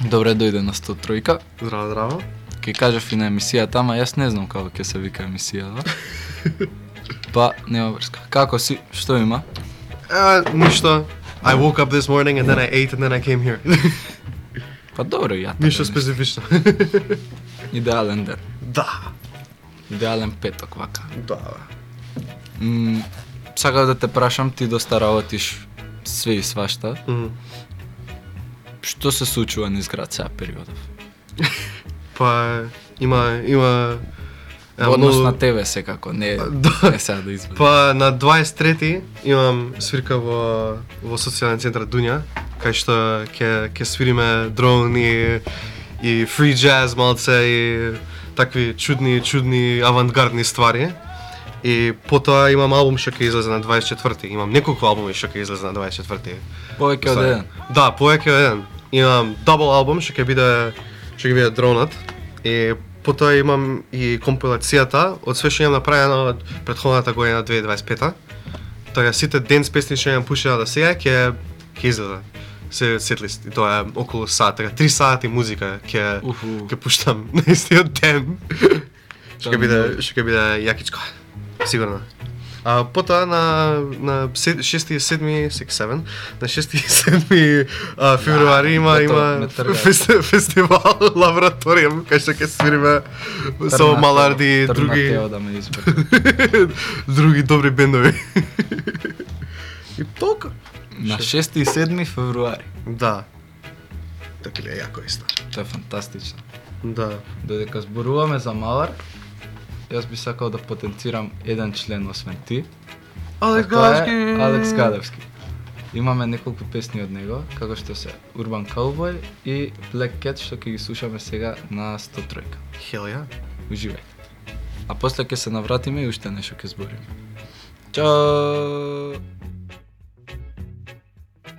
Добре дојде на 103-ка. Здраво, здраво. Ке кажав и на емисијата, ама јас не знам како ќе се вика емисијата. Па, нема врска. Како си? Што има? Ништо. I woke up this morning and then I ate and then I came here. Па добро, ја така. Ништо специфично. Идеален ден. Да. Идеален петок, вака. Да. Сакав да те прашам, ти доста работиш све и свашта. Што се случува низ град сега периодов? Па има Во однос на тебе секако, не сега да извадиш. Па на 23-ти имам свирка во социјален центар Дуња, кај што ќе свириме дрон и free jazz малце и такви чудни авангардни ствари. И потоа имам албум што ќе излезе на 24-ти. Имам неколку албуми што ќе излезе на 24-ти. Повеќе од еден. Да, повеќе од еден. Имам дабл албум што ќе биде дронат. И потоа имам и компилацијата од све што имам направено од претходната година 2025-та. Така сите денс песни што имам пушено до сега ќе излезе. Се сетлист. И тоа е околу сат, така 3 сати музика ќе пуштам на истиот ден. Што ќе биде јакичко. Сигурно. А потоа на 6 и 7 февруари има фестивал лабораториум кај што ќе свириме со Маларди и други добри бендови. И толку. На 6 и 7 февруари. Да. Така ли е јако исто. Тоа е фантастично. Да. Додека зборуваме за Малар, јас би сакал да потенцирам еден член освен ти. Алекс Гадевски. Имаме неколку песни од него, како што се Urban Cowboy и Black Cat, што ќе ги слушаме сега на 103-ка. Hell yeah. Уживајте. А после ќе се навратиме и уште нешто ќе збориме. Чао!